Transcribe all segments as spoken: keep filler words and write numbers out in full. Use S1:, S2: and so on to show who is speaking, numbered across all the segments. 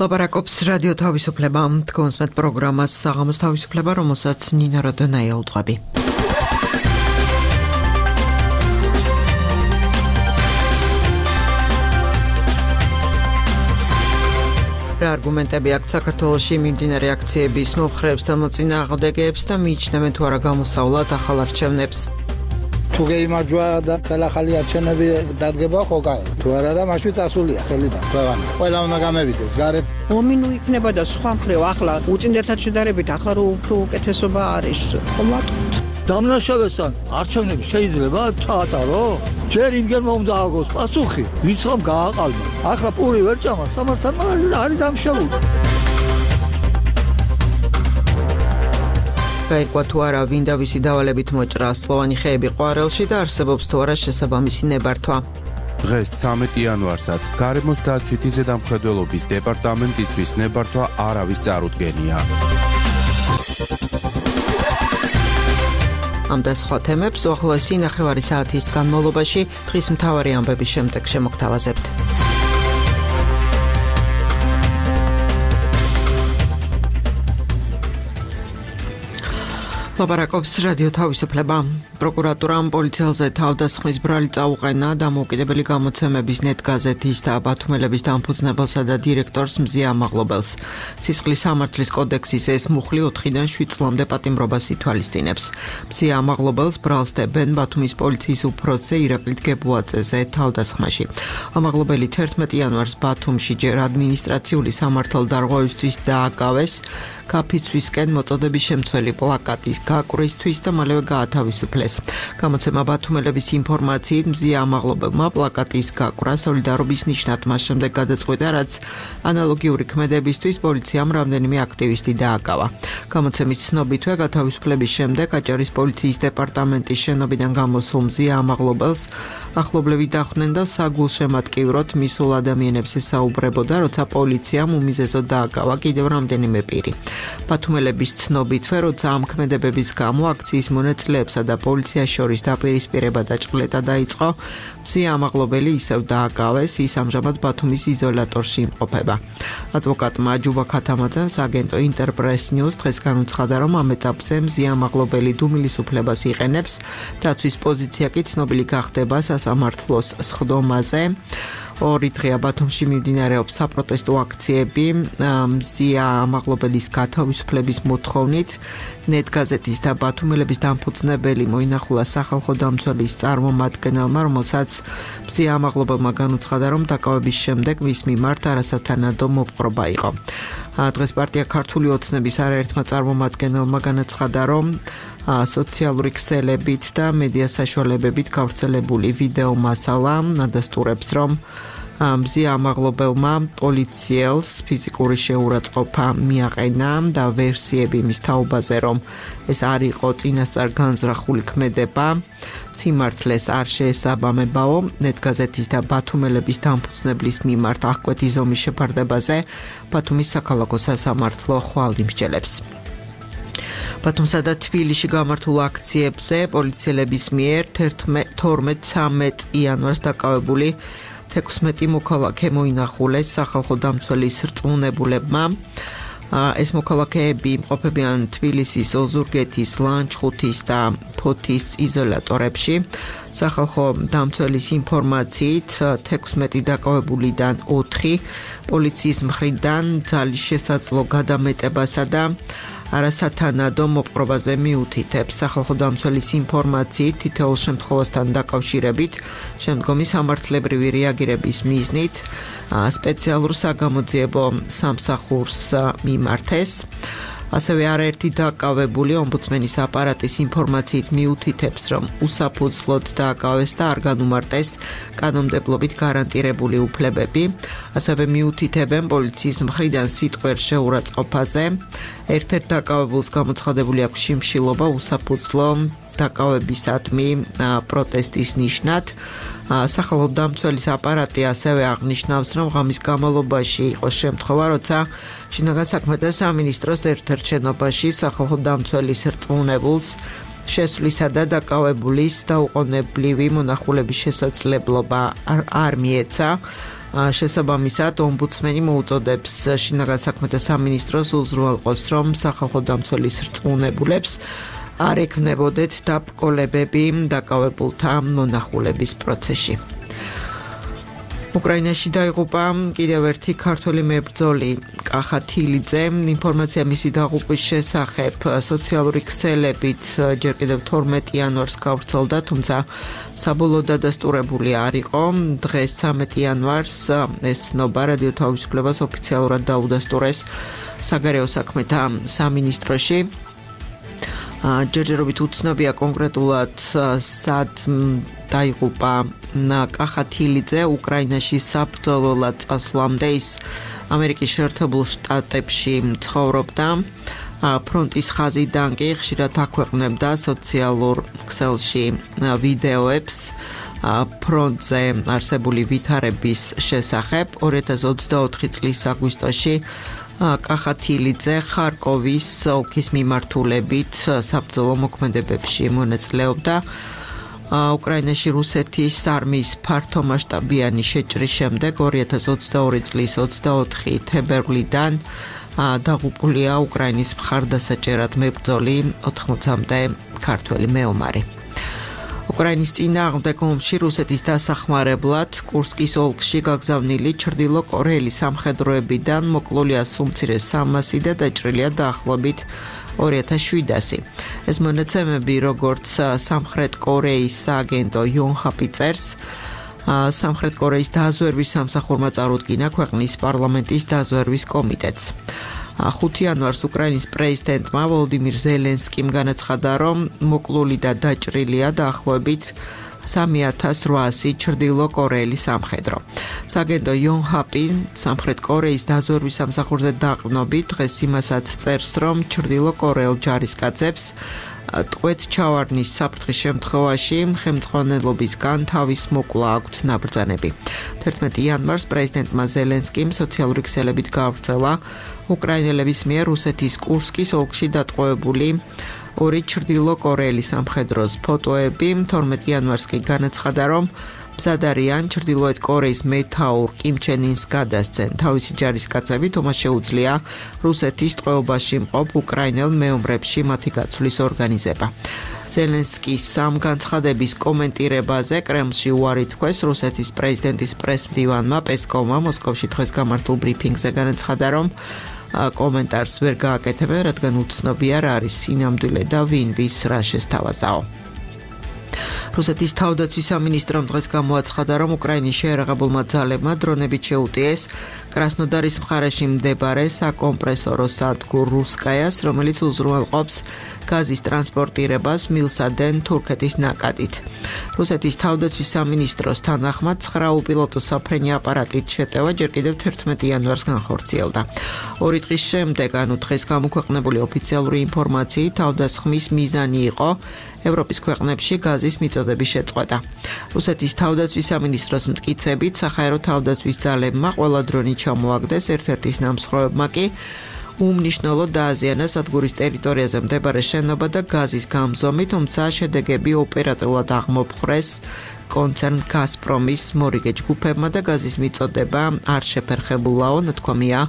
S1: ლაპარაკობს რადიო თავისუფლება, თქვენსმეთ პროგრამას საღამოს თავისუფლება, რომელსაც ნინო როდონაია უტყვები. რა არგუმენტები აქვს საქართველოში მიმდინარე აქციების მომხრეებს და მოწინააღმდეგეებს და მიიჩნევენ თუ არა გამოსავლად ახალ არჩევნებს.
S2: თუ გეიმარჯვა და ხელახალი არჩევნები დადგება ხო კაი. თუ არა და მაშინ წასულია ხელიდან ქვეყანა. ყველა უნდა გამევიდეს გარეთ.
S3: მომინუ იქნება და სხვა მხრივ ახლა უწინდელთან შედარებით ახლა რო უფრო უკეთესობა არის. ხომატოთ.
S4: დამნაშავესთან არჩევნები შეიძლება ჩაატარო? ჯერ იმგენმა უნდა აგოს პასუხი, ვიცხამ გააყალბა. ახლა პური ვერ ჭამა, სამართალმადიდებლად არის დამშავული.
S1: გაირკვა თუ არა ვინ და ვისი დავალებით მოჭრა სლოვანი ხეები ყვარელში და არსებობს თუ არა შესაბამისი ნებართვა.
S5: დღეს ცამეტი იანვარსაც გარემოს დაცვითი ზედამხედველობის დეპარტამენტისთვის ნებართვა არავის წარუდგენია. ამ და სხვა თემებს უახლოესი ნახევარი საათის განმავლობაში დღის მთავარი ამბების შემდეგ შემოგთავაზებთ. ლაპარაკობს რადიო თავისუფლება. პროკურატურამ პოლიციელზე თავდასხმის ბრალი წაუყენა დამოუკიდებელი გამოცემების ნეტ გაზეთის და ბათუმელების დამფუძნებელსა და დირექტორს მზია ამაღლობელს. სისხლის სამართლის კოდექსის ეს მუხლი ოთხიდან შვიდ წლამდე პატიმრობას ითვალისწინებს. მზია ამაღლობელს ბრალს დებენ ბათუმის პოლიციის უფროსზე ირაკლი გებუაძეზე თავდასხმაში. ამაღლობელი თერთმეტი იანვარს ბათუმში ჯერ ადმინისტრაციული სამართალდარღვევისთვის დააკავეს კაფიცვისკენ მოწოდების შემცველი პლაკატის გაკვრისთვის და მალევე გაათავისუფლეს. გამოცემა ბათუმელების ინფორმაციით მზია ამაღლობელმა პლაკატის გაკვრა სოლიდარობის ნიშნად მას შემდეგ გადაწყვიტა, რაც ანალოგიური ქმედებისთვის პოლიციამ რამდენიმე აქტივისტი დააკავა. გამოცემის ცნობითვე გათავისუფლების შემდეგ აჭარის პოლიციის დეპარტამენტის შენობიდან გამოსულ მზია ამაღლობელს ახლობლები დახვდნენ და საგულშემატკივროდ მისულ ადამიანებს ესაუბრებოდა, როცა პოლიციამ უმიზესოდ დააკავა კიდევ რამდენიმე პირი. ბათუმელების ცნობითვე, როცა ამ ქმედებების გამო აქციის მონაწილეებსა და პოლიციას შორის დაპირისპირება და ჭყლეტა დაიწყო, მზია ამაღლობელი ისევ დააკავეს, ის ამჟამად ბათუმის იზოლატორში იმყოფება. ადვოკატმა ჯუბა ქათამაძემ აგენტო ინტერპრეს ნიუს დღეს განუცხადა, რომ ამ ეტაპზე მზია ამაღლობელი დუმილისუფლებას იყენებს, დაცვის პოზიცია კი ცნობილი გახდება სასამართლოს სხდომაზე. ორი დღეა ბათუმში მიმდინარეობს საპროტესტო აქციები მზია ამაღლობელის გათავისუფლების მოთხოვნით. ნეტ გაზეთის და ბათუმელების დამფუძნებელი მოინახულა სახალხო დამცველის წარმომადგენელმა, რომელსაც მზია ამაღლობელმა განუცხადა, რომ დაკავების შემდეგ მის მიმართ არასათანადო მოპყრობა იყო. დღეს პარტია ქართული ოცნების არაერთმა წარმომადგენელმა განაცხადა, რომ სოციალური ქსელებით და მედია საშუალებებით გავრცელებული ვიდეო მასალა ადასტურებს, რომ მზია ამაღლობელმა პოლიციელს ფიზიკური შეურაცხყოფა მიაყენა და ვერსიები მის თაობაზე, რომ ეს არ იყო წინასწარ განზრახული ქმედება, სიმართლეს არ შეესაბამებაო. ნეტ გაზეთის და ბათუმელების დამფუძნებლის მიმართ აღკვეთი ზომის შეფარდებაზე ბათუმის საქალაქო სასამართლო ხვალ იმსჯელებს. ბათუმსა და თბილისში გამართულ აქციებზე პოლიციელების მიერ თორმეტ ცამეტ იანვარს დაკავებული თექვსმეტი მოქალაქე მოინახულეს სახალხო დამცველის რწმუნებულებმა. ეს მოქალაქეები იმყოფებიან თბილისის ოზურგეთის, ლანჩხუთის და ფოთის იზოლატორებში. სახალხო დამცველის ინფორმაციით თექვსმეტი დაკავებულიდან ოთხი პოლიციის მხრიდან ძალის შესაძლო გადამეტებასა და არასათანადო მოპყრობაზე მიუთითებს. სახალხო დამცველის ინფორმაციით თითოეულ შემთხვევასთან დაკავშირებით შემდგომი სამართლებრივი რეაგირების მიზნით სპეციალურ საგამოძიებო სამსახურს მიმართეს. ასევე არაერთი დაკავებული ომბუდსმენის აპარატის ინფორმაციით მიუთითებს, რომ უსაფუძვლოდ დააკავეს და არ განუმარტეს კანონმდებლობით გარანტირებული უფლებები. ასევე მიუთითებენ პოლიციის მხრიდან სიტყვიერ შეურაცხყოფაზე. ერთ-ერთ დაკავებულს გამოცხადებული აქვს შიმშილობა უსაფუძვლო დაკავებისადმი პროტესტის ნიშნად. სახალხო დამცველის აპარატი ასევე აღნიშნავს, რომ ღამის განმავლობაში იყო შემთხვევა, როცა შინაგან საქმეთა სამინისტროს ერთ-ერთ შენობაში სახალხო დამცველის რწმუნებულს შესვლისა და დაკავებულის დაუყოვნებლივი მონახულების შესაძლებლობა არ მიეცა. შესაბამისად, ომბუდსმენი მოუწოდებს შინაგან საქმეთა სამინისტროს უზრუნველყოს, რომ სახალხო დამცველის რწმუნებულებს არ ექნებოდეთ დაბრკოლებები დაკავებულთა მონახულების პროცესში. უკრაინაში დაიღუპა კიდევ ერთი ქართველი მებრძოლი კახა თილიძე. ინფორმაცია მისი დაღუპვის შესახებ სოციალური ქსელებით ჯერ კიდევ თორმეტი იანვარს გავრცელდა, თუმცა საბოლოო დადასტურებული არ იყო. დღეს ცამეტი იანვარს ეს ცნობა რადიო თავისუფლებას ოფიციალურად დაუდასტურეს საგარეო საქმეთა სამინისტროში. ჯერჯერობით უცნობია კონკრეტულად სად დაიღუპა კახა თილიძე. უკრაინაში საბრძოლოდ წასვლამდე ის ამერიკის შეერთებულ შტატებში ცხოვრობდა. ფრონტის ხაზიდან კი ხშირად აქვეყნებდა სოციალურ ქსელში ვიდეოებს ფრონტზე არსებული ვითარების შესახებ. ორი ათას ოცდაოთხი წლის აგვისტოში კახა თილიძე ხარკოვის ოლქის მიმართულებით საბრძოლო მოქმედებებში მონაწილეობდა. უკრაინაში რუსეთის არმიის ფართომასშტაბიანი შეჭრის შემდეგ ორი ათას ოცდაორი წლის ოცდაოთხი თებერვლიდან დაღუპულია უკრაინის მხარდასაჭერად მებრძოლი ოთხმოცამდე ქართველი მეომარი. უკრაინის წინააღმდეგ ომში რუსეთის დასახმარებლად კურსკის ოლქში გაგზავნილი ჩრდილოკორეელი სამხედროებიდან მოკლულია სულ სამასი და დაჭრილია დაახლოებით ორი ათას შვიდასი. ეს მონაცემები, როგორც სამხრეთ კორეის სააგენტო იონჰაპი წერს, სამხრეთ კორეის დაზვერვის სამსახურმა წარუდგინა ქვეყნის პარლამენტის დაზვერვის კომიტეტს. ხუთი იანვარს უკრაინის პრეზიდენტმა ვოლოდიმირ ზელენსკიმ განაცხადა, რომ მოკლული და დაჭრილია დაახლოებით სამი ათას რვაასი ჩრდილოკორეელი სამხედრო. სააგენტო იონჰაპი სამხრეთ კორეის დაზვერვის სამსახურზე დაყრდნობით დღეს იმასაც წერს, რომ ჩრდილოკორეელ ჯარისკაცებს ტყვეთ ჩავარდნის საფრთხის შემთხვევაში ხელმძღვანელობისგან თავის მოკლა აქვთ ნაბრძანები. თერთმეტი იანვარს პრეზიდენტმა ზელენსკიმ სოციალური ქსელებით გაავრცელა უკრაინელების მიერ რუსეთის კურსკის ოლქში დატყვევებული ორი ჩრდილოკორეელი სამხედროს ფოტოები. თორმეტი იანვარს კი განაცხადა, რომ მზად არიან ჩრდილოეთ კორეის მეთაურ კიმ ჩენ ინს გადასცენ. თავისი ჯარისკაცები თუმცა შეუძლია რუსეთის ტყვეობაში მყოფ უკრაინელ მეომრებში მათი გაცვლის ორგანიზება. ზელენსკის სამ განცხადების კომენტირებაზე კრემლში უარი თქვეს რუსეთის პრეზიდენტის პრესმდივანმა პესკოვმა მოსკოვში დღეს გამართულ ბრიფინგზე განაცხადა, რომ კომენტარს ვერ გააკეთებენ, რადგან უცნობია რა არის სინამდვილე და ვინ ვის რა შესთავაზაო. რუსეთის თავდაცვის სამინისტრომ დღეს გამოაცხადა, რომ უკრაინის შეიარაღებულმა ძალებმა დრონებით შეუტიეს კრასნოდარის მხარეში მდებარე საკომპრესორო სადგურ რუსკაიას, რომელიც უზრუნველყოფს გაზის ტრანსპორტირებას მილსადენ თურქეთის ნაკადით. რუსეთის თავდაცვის სამინისტროს თანახმად ცხრა უპილოტო საფრენი აპარატით შეტევა ჯერ კიდევ თერთმეტი იანვარს განხორციელდა. ორი დღის შემდეგ, ანუ დღეს გამოქვეყნებული ოფიციალური ინფორმაციით, თავდასხმის მიზანი იყო ევროპის ქვეყნებში გაზის მიწოდების შეწყვეტა. რუსეთის თავდაცვის სამინისტროს მტკიცებით, საჰაერო თავდაცვის ძალებმა ყველა დრონი ჩამოაგდეს, ერთ-ერთის ნამსხვრევებმა კი უმნიშვნელოდ დააზიანა სადგურის ტერიტორიაზე მდებარე შენობა და გაზის გამზომი, თუმცა შედეგები ოპერატიულად აღმოფხვრეს კონცერნ გაზპრომის მორიგე ჯგუფებმა და გაზის მიწოდება არ შეფერხებულაო, ნათქვამია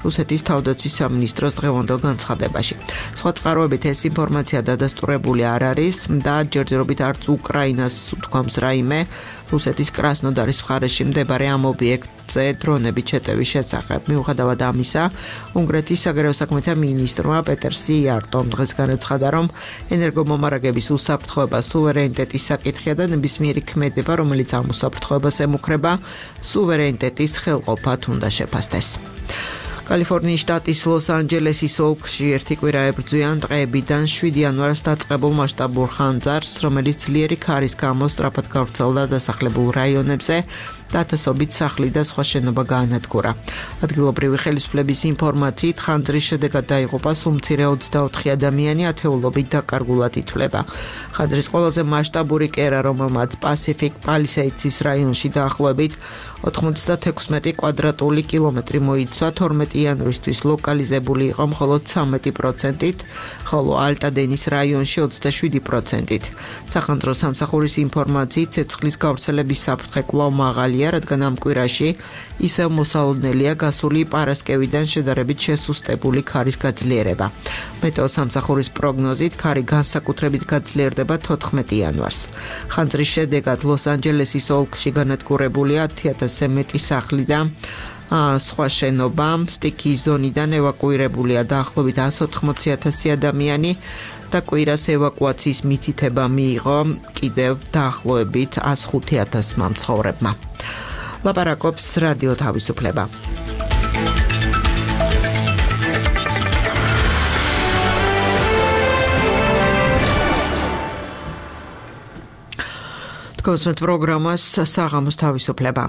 S5: რუსეთის თავდაცვის სამინისტროს დღევანდელ განცხადებაში. სხვა წყაროებით ეს ინფორმაცია დადასტურებული არ არის და ჯერჯერობით არც უკრაინას უთქვამს რაიმე რუსეთის კრასნოდარის მხარეში მდებარე ამ ობიექტზე დრონებით შეტევის შესახებ. მიუხედავად ამისა, უნგრეთის საგარეო საქმეთა მინისტრმა პეტერ სიარტომ დღეს განაცხადა, რომ ენერგომომარაგების უსაფრთხოება სუვერენიტეტის საკითხია და ნებისმიერი ქმედება, რომელიც ამ უსაფრთხოებას ემუქრება, სუვერენიტეტის ხელყოფად უნდა შეფასდეს. კალიფორნიის შტატის ლოს-ანჯელესის ოლქში ერთი კვირა ებრძვიან ტყეებიდან შვიდი იანვარს დაწყებულ მასშტაბურ ხანძარს, რომელიც ძლიერი ქარის გამო სწრაფად გავრცელდა დასახლებულ რაიონებზე და ათასობით სახლი და სხვა შენობა გაანადგურა. ადგილობრივი ხელისუფლების ინფორმაციით, ხანძრის შედეგად დაიღუპა სულ მცირე ოცდაოთხი ადამიანი, ათეულობით დაკარგულად ითვლება. ხანძრის ყველაზე მასშტაბური კერა, რომელმაც პასიფიკ პალისეიდსის რაიონში დაახლოებით ოთხმოცდათექვსმეტი კვადრატული კილომეტრი მოიცვა, თორმეტი იანვრისთვის ლოკალიზებული იყო მხოლოდ ცამეტი პროცენტით, ხოლო ალტადენის რაიონში ოცდაშვიდი პროცენტით. სახანძრო სამსახურის ინფორმაციით ცეცხლის გავრცელების საფრთხე კვლავ მაღალია, რადგან ამ კვირაში ისევ მოსალოდნელია გასული პარასკევიდან შედარებით შესუსტებული ქარის გაძლიერება. მეტეო სამსახურის პროგნოზით ქარი განსაკუთრებით გაძლიერდება თოთხმეტი იანვარს. ხანძრის შედეგად ლოს-ანჯელესის ოლქში განადგურებულია ათი ათასზე მეტი სახლი და სხვა შენობა, სტიქიის ზონიდან ევაკუირებულია დაახლოებით εκατს ოთხმოცი ათასი ადამიანი და კვირას ევაკუაციის მითითება მიიღო კიდევ დაახლოებით εκατს ხუთი ათასმა მცხოვრებმა. ლაპარაკობს რადიო თავისუფლება. თქვენს პროგრამას საღამოს თავისუფლება.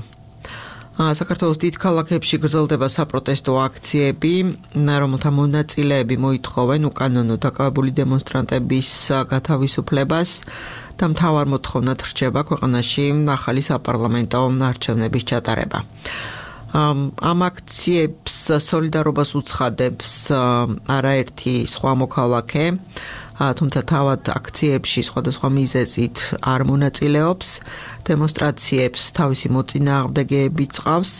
S5: საქართველოს დიდ ქალაქებში გრძელდება საპროტესტო აქციები, რომელთა მონაწილეები მოითხოვენ უკანონო დაკავებული დემონსტრანტების გათავისუფლებას და მთავარ მოთხოვნად რჩება ქვეყანაში ახალი საპარლამენტო არჩევნების ჩატარება. ამ აქციებს სოლიდარობას უცხადებს არაერთი სხვა მოქალაქე, თუმცა თავად აქციებში სხვადასხვა მიზეზით არ მონაწილეობს, დემონსტრაციებს თავისი მოწინააღმდეგეები წყავს,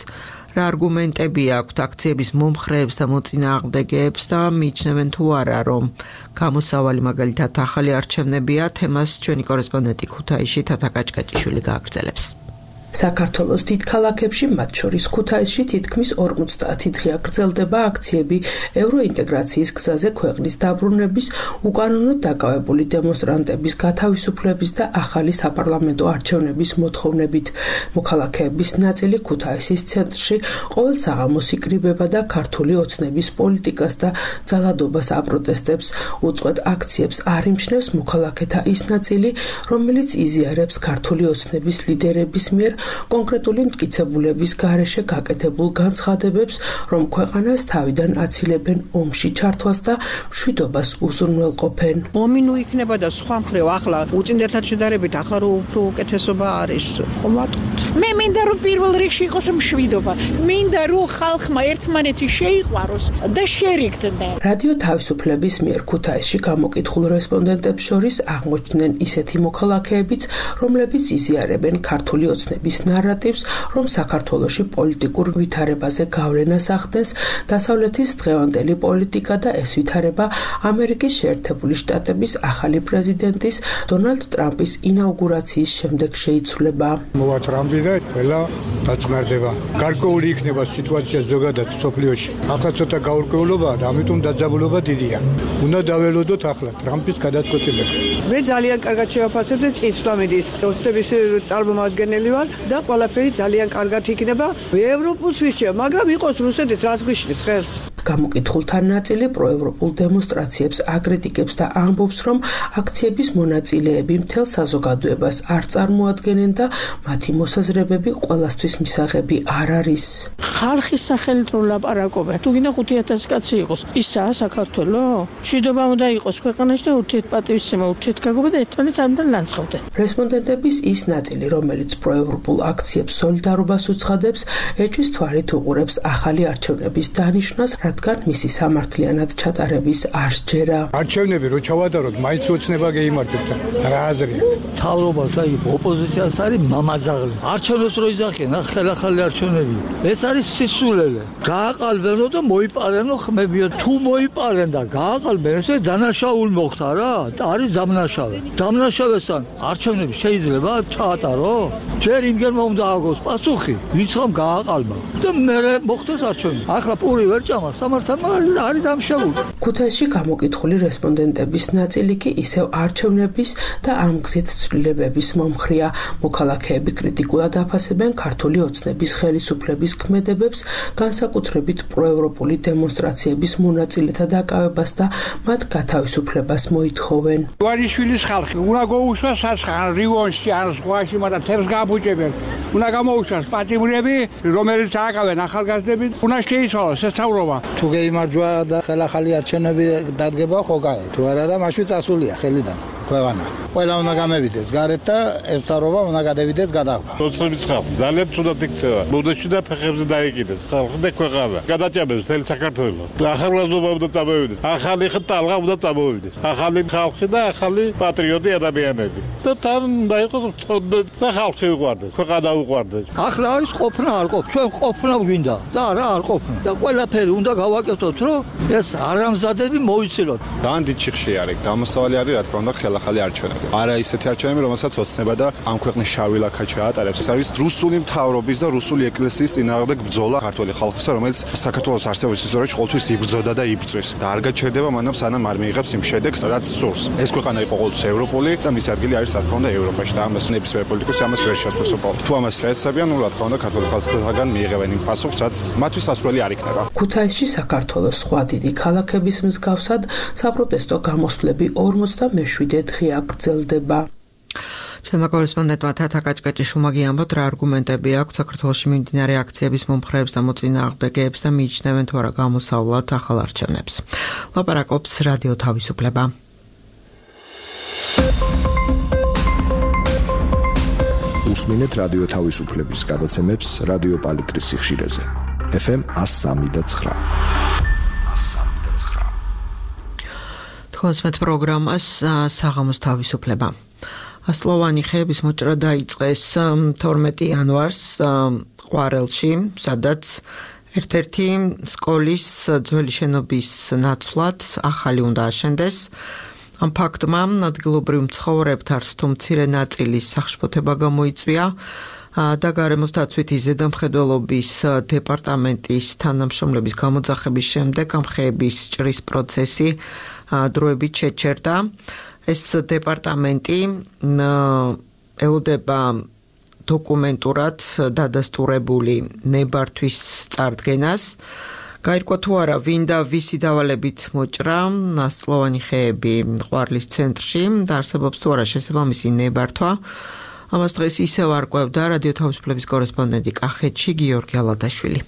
S5: რა არგუმენტები აქვთ აქციების მომხრეებს და მოწინააღმდეგეებს და მიიჩნევენ თუ არა, რომ გამოსავალი მაგალითად ახალი არჩევნებია, თემას ჩვენი კორესპონდენტი ქუთაისში თათა კაჭკაჭიშვილი გააგრძელებს.
S6: საქართველოს დიდ ქალაქებში, მათ შორის ქუთაისში თითქმის ორმოცდაათი დღეა გრძელდება აქციები ევროინტეგრაციის გზაზე ქვეყნის დაბრუნების, უკანონოდ დაკავებული დემონსტრანტების გათავისუფლების და ახალი საპარლამენტო არჩევნების მოთხოვნებით. მოქალაქეების ნაწილი ქუთაისის ცენტრში ყოველ საღამოს იკრიბება და ქართული ოცნების პოლიტიკას და ძალადობას აპროტესტებს. უწყვეტ აქციებს არ იმჩნევს მოქალაქეთა ის ნაწილი, რომელიც იზიარებს ქართული ოცნების ლიდერების მიერ კონკრეტული მტკიცებულების გარეშე გაკეთებულ განცხადებებს, რომ ქვეყანას თავიდან აცილებენ ომში ჩართვას და მშვიდობას უზრუნველყოფენ.
S3: ომი ნუ იქნება და სხვა მხრივ ახლა უწინდელთან შედარებით ახლა რო უფრო უკეთესობა არის. ხომ ვატყობთ?
S7: მე მინდა რომ პირველ რიგში იყოს მშვიდობა. მინდა რომ ხალხმა ერთმანეთი შეიყვაროს და შერიგდნენ.
S6: რადიო თავისუფლების მიერ ქუთაისში გამოკითხულ რესპონდენტებს შორის აღმოჩნდნენ ისეთი მოქალაქეებიც, რომლებიც იზიარებენ ქართული ოცნების ნარატივს, რომ საქართველოში პოლიტიკურ ვითარებაზე გავლენას ახდენს დასავლეთის დღევანდელი პოლიტიკა და ეს ვითარება ამერიკის შეერთებული შტატების ახალი პრეზიდენტის დონალდ ტრამპის ინაუგურაციის შემდეგ შეიცვლება.
S8: მოვაჭრამდი და ყველა დაწყნარდება. გარკვეული იქნება სიტუაცია ზოგადად სოფლიოში. ახლა ცოტა გაურკვევლობაა და ამიტომ დაძაბულობა დიდია. უნდა დაველოდოთ ახლა ტრამპის გადაწყვეტილება.
S3: მე ძალიან კარგად შევაფასებ და წინსვლა მიდის. ოცნების წარმომადგენელი ვარ და ყველაფერი ძალიან კარგად იქნება. ევროპულს ვიშჩია, მაგრამ იყოს რუსეთის რას გვიშლის ხელს.
S6: გამოკითხულთა ნაწილი პროევროპულ დემონსტრაციებს აკრიტიკებს და ამბობს, რომ აქციების მონაწილეები მთელ საზოგადოებას არ წარმოადგენენ და მათი მოსაზრებები ყველასთვის მისაღები არ არის.
S7: ხალხის სახელით რო ლაპარაკობენ. თუ გინდა ხუთი ათასი კაცი იყოს, ისაა საქართველო? მშვიდობა უნდა იყოს ქვეყანაში და ურთიერთპატივისცემა, ურთიერთგაგობა და ერთმანეთს არ უნდა ლანძღავდნენ.
S6: რესპონდენტების ის ნაწილი, რომელიც პროევროპულ აქციებს სოლიდარობას უცხადებს, ეჭვის თვალით უყურებს ახალი არჩევნების დანიშვნას, რადგან მისი სამართლიანად ჩატარების არ სჯერა.
S8: არჩევნები რო ჩავატაროთ, მაინც ოცნება გეიმარჯვებს. რა აზრი აქვს?
S4: თავრობას აი ოპოზიციას არის მამაძაღლი. არჩევნებს რო იძახიან, ახალ-ახალი არჩევნები. ეს არის სისულელე. გააყალბენო და მოიპარენო ხმებიო. თუ მოიპარენ და გააყალბენ, ესე დანაშაული მოხდა რა. არის დამნაშავე. დამნაშავესთან არჩევნები შეიძლება ჩაატარო? ჯერ იმგენმა უნდა აგოს პასუხი, ვიცხამ გააყალბა. და მე მოხდეს არჩევნები. ახლა პური ვერ ჭამა, სამართალმაღალი არის დამშეული.
S6: ქუთაისში გამოკითხული რესპონდენტების ნაწილი კი ისევ არჩევნების და ამ გზით ცვლილებების მომხრია. მოქალაქეები კრიტიკულად აფასებენ ქართული ოცნების ხელისუფლების ქმედებებს, განსაკუთრებით პროევროპული დემონსტრაციების მონაწილეთა დაკავებას და მათ გათავისუფლებას მოითხოვენ.
S9: ვარიშვილის ხალხი უნდა გაუშვას საცხან რიგონში ან სხვაში, მაგრამ თერს გააბუჭებენ. უნდა გამოუშვას პატიმრები, რომელიც ააკავენ ახალგაზრდები, უნდა შეიცვალოს ესწავლობა.
S2: თუ გეიმარჯვა და ხელახალი არჩევნები დადგება, ხო გაი. თუ არა და მაშინ წასულია ხელიდან. ქვეყანა. ყველა უნდა გამევიდეს გარეთ და ერთარობა უნდა გადავიდეს გადაღება.
S10: სოციალიზმის ხალხი ძალიან ცუდად იქცევა. ბუდეში და ფეხებზე დაიკიდეს. ხალხი და ქვეყანა. გადაჭამებს მთელი საქართველოს. ახალგაზრდობა უნდა წამოვიდეს. ახალი ხტალღა უნდა წამოვიდეს. ახალი ხალხი და ახალი პატრიოტი ადამიანები. და თან უნდა იყოს და ხალხი უყვარდეს. ქვეყანა უყვარდეს.
S4: ახლა არის ყოფნა არ ყოფ. ჩვენ ყოფნა გვინდა. და რა არ ყოფნა. და ყველაფერი უნდა გავაკეთოთ, რომ ეს არამზადები მოიცილოთ.
S11: ძალიან დიდ ჩიხში არის. გამოსავალი არის, რა თქმა უნდა, ხელახალი არჩევნები. არა ისეთი არჩევნები, რომელსაც ოცნება და ამ ქვეყნის შავი ლაქა ჩაატარებს. ეს არის რუსული მთავრობის და რუსული ეკლესიის წინააღმდეგ ბრძოლა ქართული ხალხისა, რომელიც საქართველოს არსებობის ისტორიაში ყოველთვის იბრძოდა და იბრძვის. და არ გაჩერდება მანამ სანამ არ მიიღებს იმ შედეგს, რაც სურს. ეს ქვეყანა იყო ყოველთვის ევროპული და მისი ადგილი არის, რა თქმა უნდა, ევროპაში და ამას ნებისმიერ პოლიტიკოსი ამას ვერ შეძლოს უბრალოდ. თუ ამას შეეცებიან, ნუ რა თქმა უნდა, ქართული ხალხისგან მიიღებენ იმ პასუხს, რაც მათთვის სასურველი არ იქნება.
S6: ქუთაისში საქართველოს სხვა დიდი ქალაქების მსგავსად საპროტესტო გამოსვლები ორმოცდამეშვიდე დღე აგრძელდება.
S5: ჩვენმა კორესპონდენტმა თათა კაჭკაჭიშვილმა გიამბოთ, რა არგუმენტები აქვს საქართველოში მიმდინარე აქციების მომხრეებს და მოწინააღმდეგეებს და მიიჩნევენ თუ არა გამოსავლად ახალ არჩევნებს. ლაპარაკობს რადიო თავისუფლება.
S12: უსმინეთ რადიო თავისუფლების გადაცემებს რადიო პალიტრის სიხშირეზე. ეფ ემ εκατო სამი და ცხრა.
S5: თქვენს პროგრამას საღამოს თავისუფლება. ასლოვანი ხეების მოჭრა დაიწყეს თორმეტი იანვარს ყვარელში, სადაც ერთ-ერთი სკოლის ძველი შენობის ნაცვლად ახალი უნდა აშენდეს. ამ ფაქტმა ადგილობრივ მცხოვრებთან თუ მცირე ნაწილის სახშფოთება გამოიწვია და გარემოს დაცვითი ზედამხედველობის დეპარტამენტის თანამშრომლების გამოძახების შემდეგ ამ ხეების ჭრის პროცესი დროებით შეჩერდა. ეს დეპარტამენტი ელოდება დოკუმენტურად დადასტურებული ნებართვის წარდგენას. გაირკვა თუ არა ვინ და ვისი დავალებით მოჭრა ასლოვანი ხეები ყვარლის ცენტრში და არსებობს თუ არა შესაბამისი ნებართვა. ამას დღეს ისევ არკვევდა რადიო თავისუფლების კორესპონდენტი კახეთში გიორგი ალადაშვილი.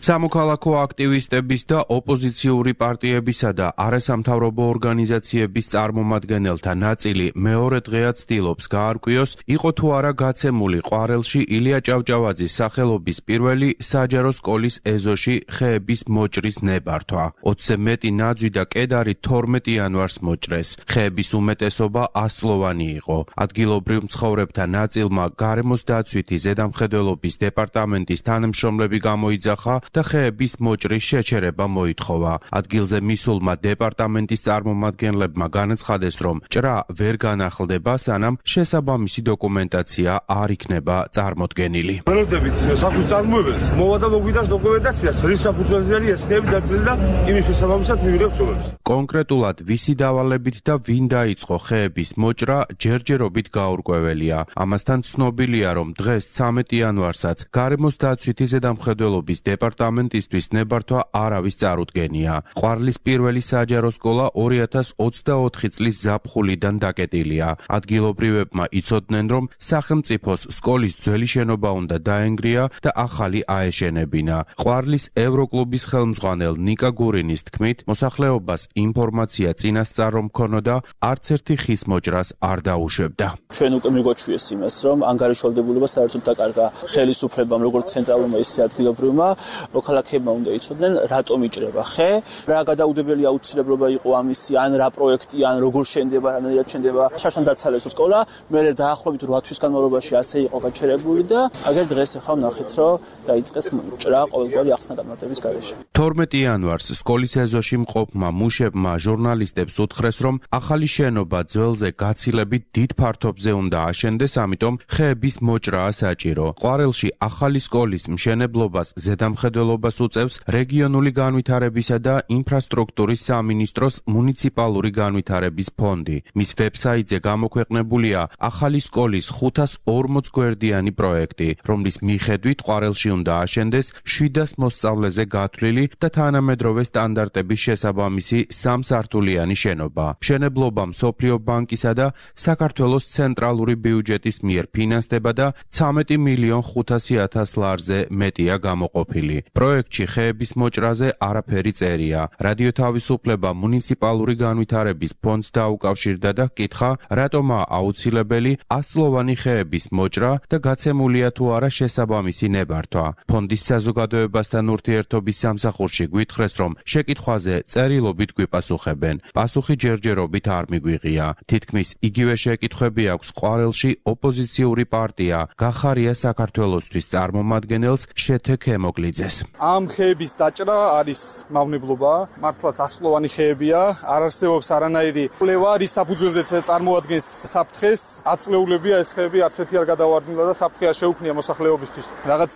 S13: სამოქალაქო აქტივისტების და ოპოზიციური პარტიებისა და არასამთავრობო ორგანიზაციების წარმომადგენელთა ნაწილი მეორე დღეაც ცდილობს გაარკვიოს, იყო თუ არა გაცემული ყვარელში ილია ჭავჭავაძის სახელობის პირველი საჯარო სკოლის ეზოში ხეების მოჭრის ნებართვა. ოცზე მეტი ნაძვი და კედარი თორმეტი იანვარს მოჭრეს. ხეების უმეტესობა ასლოვანი იყო. ადგილობრივ მცხოვრებთა ნაწილმა გარემოს დაცვითი ზედამხედველობის დეპარტამენტის თანამშრომლები გამოიძახა და ხეების მოჭრის შეჩერება მოითხოვა. ადგილზე მისულმა დეპარტამენტის წარმომადგენლებმა განაცხადეს, რომ ჭრა ვერ განახლდება, სანამ შესაბამისი დოკუმენტაცია არ იქნება წარმოდგენილი.
S14: ველოდებით სახლის წარმოებელს მოვა და მოგვიდას დოკუმენტაციას, რის საფუძველზე არის ეს ხეები დაცული და იმის შესაბამისად მივიღებთ ცნობებს.
S13: კონკრეტულად ვისი დავალებით და ვინ დაიწყო ხეების მოჭრა ჯერჯერობით გაურკვეველია. ამასთან ცნობილია, რომ დღეს ცამეტი იანვარსაც გარემოს დაცვითი ზედამხედველობის დეპარტამენტისთვის ნებართვა არავის წარუდგენია. ყვარლის პირველი საჯარო სკოლა ორი ათას ოცდაოთხი წლის ზაფხულიდან დაკეტილია. ადგილობრივებმა იცოდნენ, რომ სახელმწიფოს სკოლის ძველი შენობა უნდა დაენგრია და ახალი აეშენებინა. ყვარლის ევროკლუბის ხელმძღვანელ ნიკა გურინის თქმით, მოსახლეობას ინფორმაცია წინასწარ რომ ქონოდა, არც ერთი ხის მოჭრას არ დაუშვებდა.
S15: ჩვენ უკვე მიგვაჩვიეს იმას, რომ ანგარიშვალდებულება საერთოდ დაკარგა ხელისუფლებამ, როგორც ცენტრალურმა, ისე ადგილობრივმა. მოქალაქეებმა უნდა იცოდნენ, რატომ იჭრება ხე, რა გადაუდებელი აუცილებლობა იყო ამისი, ან რა პროექტი, ან როგორ შენდება, რანაირად შენდება. შარშან დაცალეს სკოლა, მერე დაახლოებით რვა თვის განმავლობაში ასე იყო გაჩერებული და აგერ დღეს ახლა ვნახეთ, რომ დაიწყეს ჭრა ყოველგვარი ახსნა-განმარტების გარეშე.
S13: თორმეტი იანვარს სკოლის ეზოში მყოფმა მუშებმა ჟურნალისტებს უთხრეს, რომ ახალი შენობა ძველზე გაცილებით დიდ ფართობზე უნდა აშენდეს, ამიტომ ხეების მოჭრაა საჭირო. ყვარელში ახალი სკოლის მშენებლობას ზედამხედველობას უწევს რეგიონული განვითარებისა და ინფრასტრუქტურის სამინისტროს მუნიციპალური განვითარების ფონდი. მის ვებსაიტზე გამოქვეყნებულია ახალი სკოლის ხუთას ორმოც გვერდიანი პროექტი, რომლის მიხედვით ყვარელში უნდა აშენდეს შვიდას მოსწავლეზე გათვლილი და თანამედროვე სტანდარტების შესაბამისი სამსართულიანი შენობა. მშენებლობა მსოფლიო ბანკისა და საქართველოს ცენტრალური ბიუჯეტის მიერ ფინანსდება და ცამეტი მილიონ ხუთასი ათას ლარზე მეტია გამოყოფილი. პროექტში ხეების მოჭრაზე არაფერი წერია. რადიო თავისუფლება მუნიციპალური განვითარების ფონდს დაუკავშირდა და ჰკითხა, რატომაა აუცილებელი ასწლოვანი ხეების მოჭრა და გაცემულია თუ არა შესაბამისი ნებართვა. ფონდის საზოგადოებასთან ურთიერთობის სამსახურში გვითხრეს, რომ შეკითხვაზე წერილობით გვიპასუხებენ. პასუხი ჯერჯერობით არ მიგვიღია. თითქმის იგივე შეკითხვები აქვს ყვარელში ოპოზიციური პარტია გახარია საქართველოსთვის წარმომადგენელს შეთე ქემოგლიძეს.
S16: ამ ხეების დაჭრა არის მავნებლობა, მართლაც ასწლოვანი ხეებია, არ არსებობს არანაირი კვლევა, რის საფუძველზეც წარმოადგენს საფრთხეს, აწლეულებია ეს ხეები, არც ერთი არ გადავარდნილა და საფრთხე არ შეუქმნია მოსახლეობისთვის. რაღაც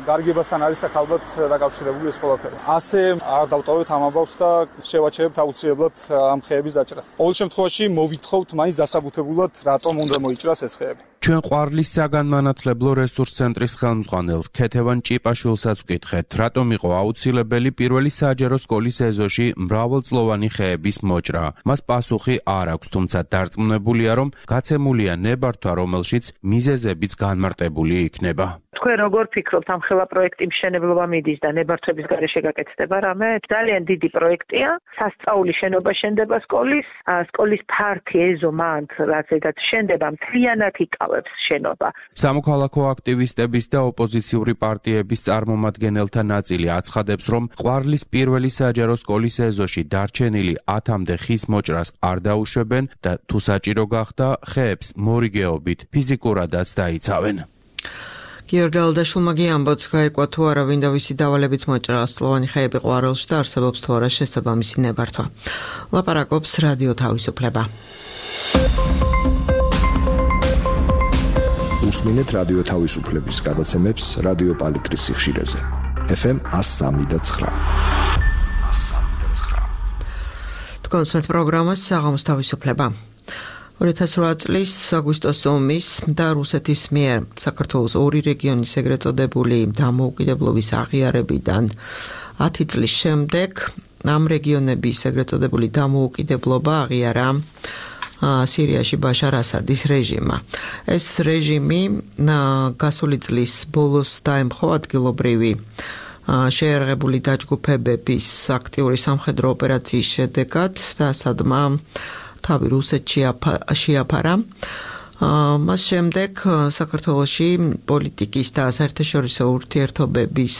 S16: გარიგებასთან არის აქ ალბათ დაკავშირებული ეს ყველაფერი. ასე არ დავტოვებთ ამ ამბავს და შევაჩერებთ აუცილებლად ამ ხეების დაჭრას. ყოველ შემთხვევაში მოვითხოვთ მაინც დასაბუთებულად, რატომ უნდა მოიჭრას ეს ხეები.
S13: ჩვენ ყვარლის საგანმანათლებლო რესურს ცენტრის ხელმძღვანელს ქეთევან ჭიპაშვილსაც ვკითხეთ, რატომ იყო აუცილებელი პირველი საჯარო სკოლის ეზოში მრავალწლოვანი ხეების მოჭრა. მას პასუხი არ აქვს, თუმცა დარწმუნებულია, რომ გაცემულია ნებართვა, რომელშიც მიზეზებიც განმარტებული იქნება.
S17: თქვენ როგორ ფიქრობთ, ამ ხელა პროექტი მშენებლობა მიდის და ნებართვების გარეშე გაკეთდება რამე? ძალიან დიდი პროექტია. სასწაული შენობა შენდება სკოლის, სკოლის ფართი ეზო მანდ, რაც ეგაც შენდება, მთლიანად იკავებს შენობა.
S13: სამოქალაქო აქტივისტების და ოპოზიციური პარტიების წარმომადგენელთა ნაწილი აცხადებს, რომ ყვარლის პირველი საჯარო სკოლის ეზოში დარჩენილი ათამდე ხის მოჭრას არ დაუშვებენ და თუ საჭირო გახდა, ხეებს მორიგეობით ფიზიკურადაც დაიცავენ.
S5: გიორგი ალდაშულმა ამბობს, გაირკვა თუ არა ვინ და ვისი დავალებით მოჭრა ასწლოვანი ხეები ყვარელში და არსებობს თუ არა შესაბამისი ნებართვა. ლაპარაკობს რადიო თავისუფლება.
S12: უსმინეთ რადიო თავისუფლების გადაცემებს რადიო პალიტრის სიხშირეზე. ეფ ემ one oh three და nine.
S5: თქვენს მეც პროგრამას საღამოს თავისუფლება. ორი ათას ოთხ წლის აგვისტოს ომის და რუსეთის მიერ საქართველოს ორი რეგიონის ეგრეთ წოდებული დამოუკიდებლობის აღიარებიდან ათი წლის შემდეგ ამ რეგიონების ეგრეთ წოდებული დამოუკიდებლობა აღიარა სირიაში ბაშარ ასადის რეჟიმმა. ეს რეჟიმი გასული წლის ბოლოს დაემხო ადგილობრივი შეერაღებული დაჯგუფებების აქტიური სამხედრო ოპერაციის შედეგად და ასადმა თავი რუსეთში შეაფარა. მას შემდეგ საქართველოში პოლიტიკის და საერთაშორისო ურთიერთობების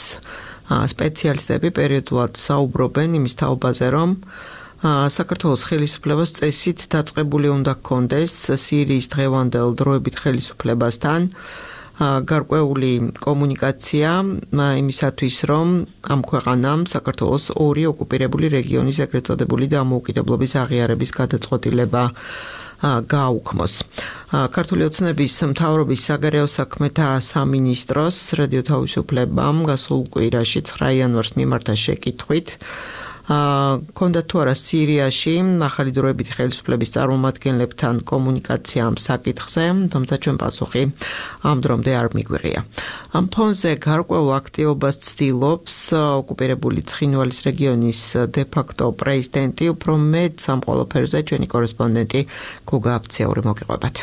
S5: სპეციალისტები პერიოდულად საუბრობენ იმის თაობაზე, რომ საქართველოს ხელისუფლებას წესით დაწყებული უნდა ჰქონდეს სირიის დღევანდელ დროებით ხელისუფლებასთან გარკვეული კომუნიკაცია იმისათვის, რომ ამ ქვეყანამ საქართველოს ორი ოკუპირებული რეგიონის ეგრეთ წოდებული დამოუკიდებლობის აღიარების გადაწყვეტილება გააუქმოს. ქართული ოცნების მთავრობის საგარეო საქმეთა სამინისტროს რადიო თავისუფლებამ გასულ კვირაში ცხრა იანვარს მიმართა შეკითხვით, ქონდა თუ არა სირიაში ახალი დროებითი ხელისუფლების წარმომადგენლებთან კომუნიკაცია ამ საკითხზე, თუმცა ჩვენ პასუხი ამ დრომდე არ მიგვიღია. ამ ფონზე გარკვეულ აქტივობას ცდილობს ოკუპირებული ცხინვალის რეგიონის დე-ფაქტო პრეზიდენტი, უფრო მეტ ამ ყველაფერზე ჩვენი კორესპონდენტი გოგა აფციური მოგიყვებათ.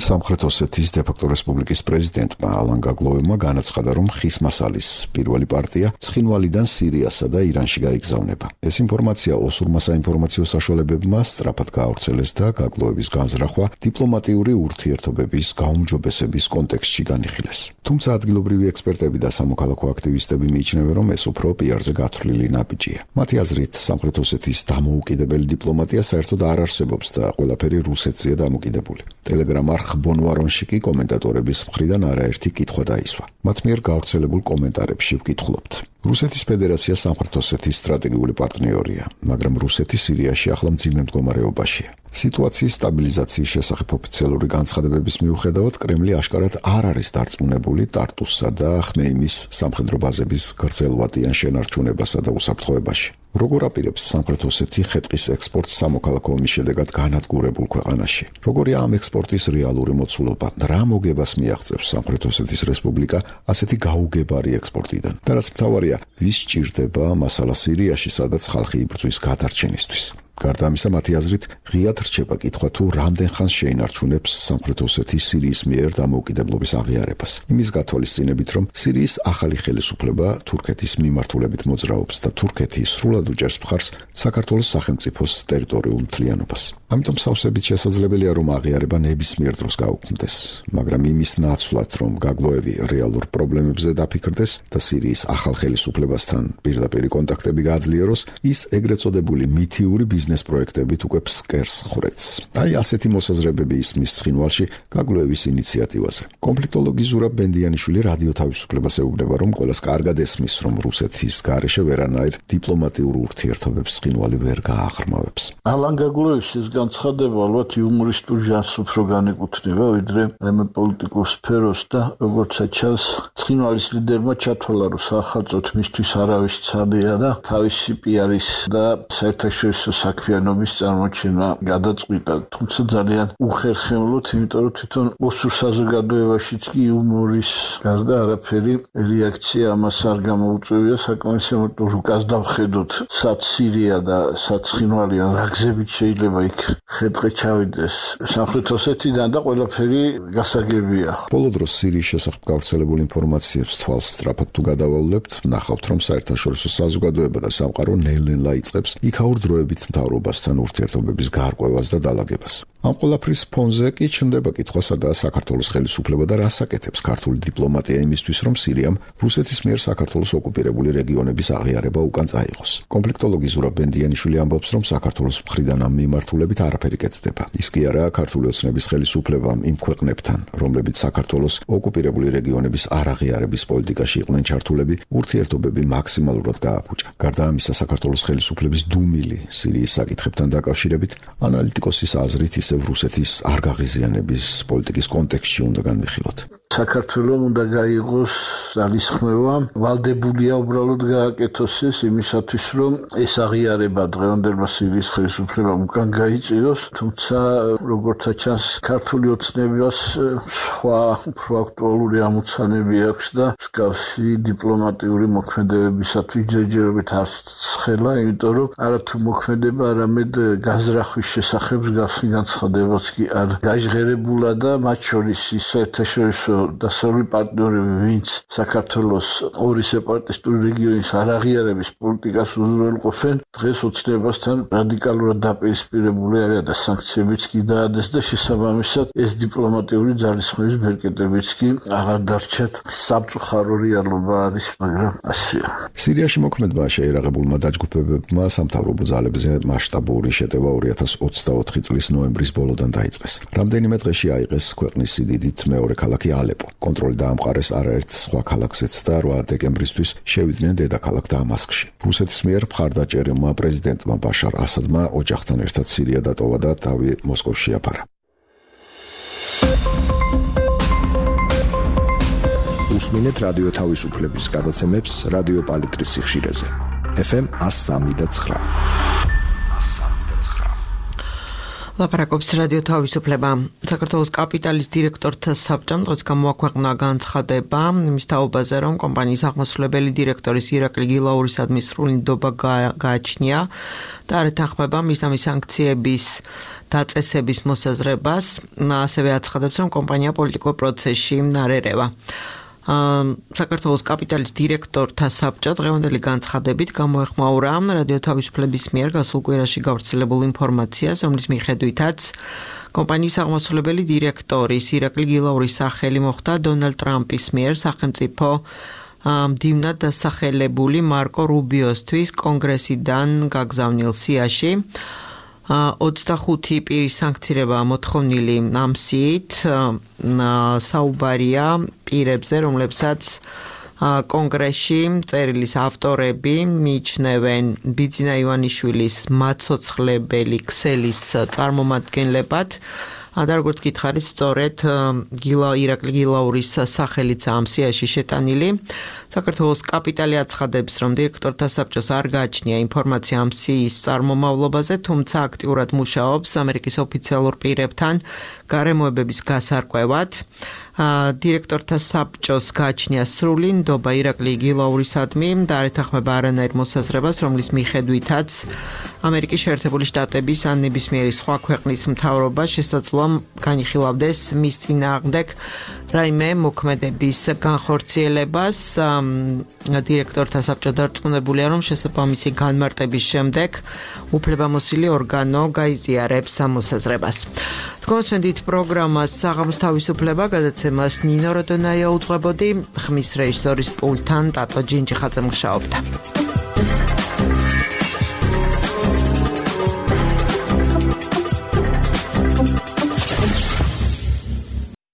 S18: სამხრეთ ოსეთის დე-ფაქტო რესპუბლიკის პრეზიდენტმა ალან გაგლოვებმა განაცხადა, რომ ხისმასალის პირველი პარტია ცხინვალიდან სირიასა და ირანში გაიგზავნება. ეს ინფორმაცია ოსურმა საინფორმაციო საშუალებებმა სწრაფად გაავრცელეს და გაგლოვების განზრახვა დიპლომატიური ურთიერთობების გაუმჯობესების კონტექსტში განიხილეს. თუმცა ადგილობრივი ექსპერტები და სამოქალაქო აქტივისტები მიიჩნევენ, რომ ეს უფრო პიარზე გათვლილი ნაბიჯია. მათი აზრით, სამხრეთ ოსეთის დამოუკიდებელი დიპლომატია საერთოდ არ არსებობს და ყველაფერი რუსეთზეა დამოკიდებული. ტელეგრამ არხ ბონვარონში კომენტატორების მხრიდან არაერთი კითხვა დაისვა. მათ მიერ გავრცელებულ კომენტარებში ვკითხულობთ. რუსეთის ფედერაცია სამხრეთ ოსეთის სტრატეგიული პარტნიორია, მაგრამ რუსეთი სირიაში ახლა მძიმე მდგომარეობაშია. სიტუაციის სტაბილიზაციის შესახებ ოფიციალური განცხადებების მიუხედავად, კრემლი აშკარად არ არის დარწმუნებული ტარტუსსა და ხმეიმის სამხედრო ბაზების გრძელვადიან შენარჩუნებასა და უსაფრთხოებაში. როგორ აპირებს სამხრეთ ოსეთი ხე-ტყის ექსპორტს სამოქალაქო ომის შედეგად განადგურებულ ქვეყანაში? როგორია ამ ექსპორტის რეალური მოცულობა? რა მოგებას მიაღწევს სამხრეთ ოსეთის რესპუბლიკა ასეთი გაუგებარი ექსპორტიდან? და რაც მთავარია, ვის სჭირდება მასალა სირიაში, სადაც ხალხი იბრძვის გადარჩენისთვის? გარდა ამისა, მათი აზრით, ღიად რჩება კითხვა თუ რამდენ ხანს შეინარჩუნებს სამხრეთ ოსეთის სირიის მიერ დამოუკიდებლობის აღიარებას. იმის გათვალისწინებით, რომ სირიის ახალი ხელისუფლება თურქეთის მიმართულებით მოძრაობს და თურქეთი სრულად უჭერს მხარს საქართველოს სახელმწიფოს ტერიტორიულ მთლიანობას. ამიტომ სავსებით შესაძლებელია, რომ აღიარება ნებისმიერ დროს გაუქმდეს, მაგრამ იმის ნაცვლად, რომ გაგლოევი რეალურ პრობლემებზე დაფიქრდეს და სირიის ახალ ხელისუფლებასთან პირდაპირ კონტაქტები გააძლიეროს, ის ეგრეთ წოდებული მითიური ბიზნეს პროექტებით უკვე ფსკერს ხრეთს. აი ასეთი მოსაზრებები ისმის ცხინვალში გაგლოევის ინიციატივაზე. კონფლიქტოლოგი ზურაბ ბენდიანიშვილი რადიო თავისუფლებას ეუბნება, რომ ყველას კარგად ესმის, რომ რუსეთის გარეშე ვერანაირ დიპლომატიურ ურთიერთობებს ცხინვალი ვერ გააღრმავებს.
S19: ალან გაგლოევის ეს განცხადება ალბათ იუმორისტულ ჟანრს უფრო განეკუთვნება, ვიდრე ამ პოლიტიკურ სფეროს და როგორც ჩანს, ცხინვალის ლიდერმა ჩათვალა, რომ სახელმწიფოდ მისთვის არავის ცალია და თავისი პიარის და საერთაშორისო საქმიანობის წარმოჩენა გადაწყვიტა. თუმცა ძალიან უხერხემლოდ, იმიტომ რომ თვითონ ოსურ საზოგადოებაშიც კი იუმორის გარდა არაფერი რეაქცია ამას არ გამოუწვევია. საკმაოდ ამიტომ რუკას დავხედოთ, სად სირია და სად ცხინვალიან, რა გზებით შეიძლება იქ ხეთყე ჩავიდეს სამხრეთ ოსეთიდან და ყველაფერი გასაგებია.
S18: ბოლო დროს სირიის შესახებ გავრცელებულ ინფორმაციებს თვალს სწრაფად თუ გადავავლებთ, ნახავთ, რომ საერთაშორისო საზოგადოება და სამყარო ნელ-ნელა იწყებს იქაურ დროებით მთავრობასთან ურთიერთობების გარკვევას და დალაგებას. ამ ყველაფრის ფონზე კი ჩნდება კითხვა, სადაა საქართველოს ხელისუფლება და რას აკეთებს ქართული დიპლომატია იმისთვის, რომ სირიამ რუსეთის მიერ საქართველოს ოკუპირებული რეგიონების აღიარება უკან წაიღოს. კონფლიქტოლოგი ზურაბ ბენდიანიშვილი ამბობს, რომ საქართველოს მხრიდან ამ მიმართულებით არაფერი კეთდება. ის კი არა ქართული ოცნების ხელისუფლებამ იმ ქვეყნებთან, რომლებიც საქართველოს ოკუპირებული რეგიონების არაღიარების პოლიტიკაში იყვნენ ჩართულები, ურთიერთობები მაქსიმალურად გააფუჭა. გარდა ამისა, საქართველოს ხელისუფლების დუმილი სირიის საკითხებთან დაკავშირებით ანალიტიკოსის აზრით ისევ რუსეთის არ გაღიზიანების პოლიტიკის კონტექსტში უნდა განვიხილოთ.
S19: საქართველოს უნდა გაიღოს ძალისხმევა, ვალდებულია უბრალოდ გააკეთოს ეს იმისათვის, რომ ეს აღიარება დღევანდელმა სირიის ხელისუფლებამ უკან გაიწვიოს, თუმცა როგორც ჩანს, ქართული ოცნებას სხვა უფრო აქტუალური ამოცანები აქვს და მსგავსი დიპლომატიური მოქმედებებისათვის ჯერჯერობით არ ცხელა, იმიტომ რომ არათუ მოქმედება, არამედ გაზრახვის შესახებ მსგავსი განცხადებაც კი არ გაჟღერებულა და მათ შორის ის საერთაშორისო დასავლური პარტნიორები, ვინც საქართველოს ორი სეპარატისტული რეგიონის არაღიარების პოლიტიკას უზრუნველყოფენ, დღეს ოცნებასთან რადიკალურად დაპირისპირებული არიან და სანქციებიც კი დაადეს და შესაბამისად ეს დიპლომატიური ძალისხმევის ბერკეტებიც კი აღარ დარჩათ. სამწუხარო რეალობა არის, მაგრამ ასეა.
S18: სირიაში მოქმედმა შეერაღებულმა დაჯგუფებებმა სამთავრობო ძალებზე მასშტაბური შეტევა ორი ათას ოცდაოთხი წლის ნოემბრის ბოლოდან დაიწყეს. რამდენიმე დღეში აიღეს ქვეყნის სიდიდით მეორე ქალაქი ალეპო. კონტროლი დაამყარეს არაერთ სხვა ქალაქზეც და რვა დეკემბრისთვის შევიდნენ დედაქალაქ დამასკში. რუსეთის მიერ მხარდაჭერილმა პრეზიდენტმა ბაშარ ასადმა ოჯახთან ერთად სირია დატოვა და თავი მოსკოვში აფარა.
S12: უსმინეთ რადიო თავისუფლების გადაცემებს რადიო პალიტრის სიხშირეზე. ეფ ემ one oh three და nine.
S5: ლაპარაკობს რადიო თავისუფლება. საქართველოს კაპიტალის დირექტორთა საბჭომ დღეს გამოაქვეყნა განცხადება იმის თაობაზე, რომ კომპანიის აღმასრულებელი დირექტორის ირაკლი გილაურისადმი სრული ნდობა გააჩნია და არ ეთანხმება მისდამი სანქციების დაწესების მოსაზრებას. ასევე აცხადებს, რომ კომპანია პოლიტიკურ პროცესში არ ერევა. საქართველოს კაპიტალის დირექტორთა საბჭო დღევანდელი განცხადებით გამოეხმაურა რადიო თავისუფლების მიერ გასულ კვირაში გავრცელებულ ინფორმაციას, რომლის მიხედვითაც კომპანიის აღმასრულებელი დირექტორის ირაკლი გილაურის სახელი მოხვდა დონალდ ტრამპის მიერ სახელმწიფო მდივნად დასახელებული მარკო რუბიოსთვის კონგრესიდან გაგზავნილ სიაში. ოცდახუთი პირის სანქცირება მოთხოვნილი ამ სიით საუბარია პირებზე, რომლებსაც კონგრესში წერილის ავტორები მიიჩნევენ ბიძინა ივანიშვილის მაცოცხლებელი ქსელის წარმომადგენლებად. და როგორც გითხარით, სწორედ გილა ირაკლი გილაურის სახელიც ამ სიაში შეტანილი. საქართველოს კაპიტალი აცხადებს, რომ დირექტორთა საბჭოს არ გააჩნია ინფორმაცია ამ სიის წარმომავლობაზე, თუმცა აქტიურად მუშაობს ამერიკის ოფიციალურ პირებთან გარემოებების გასარკვევად. დირექტორთა საბჭოს გააჩნია სრული ნდობა ირაკლი იგილაურისადმი და არ ეთანხმება არანაირ მოსაზრებას, რომლის მიხედვითაც ამერიკის შეერთებული შტატების ან ნებისმიერი სხვა ქვეყნის მთავრობა შესაძლოა განიხილავდეს მის წინააღმდეგ რაიმე მოქმედების განხორციელებას. დირექტორთა საბჭო დარწმუნებულია, რომ შესაბამისი განმარტების შემდეგ უფლებამოსილი ორგანო გაიზიარებს ამ მოსაზრებას. თქვენსმენდით პროგრამას საღამოს თავისუფლება გადაცემას ნინო როდონაია უძღვებოდი, ხმის რეჟისორის პულტთან ტატო ჯინჯიხაძე მუშაობდა.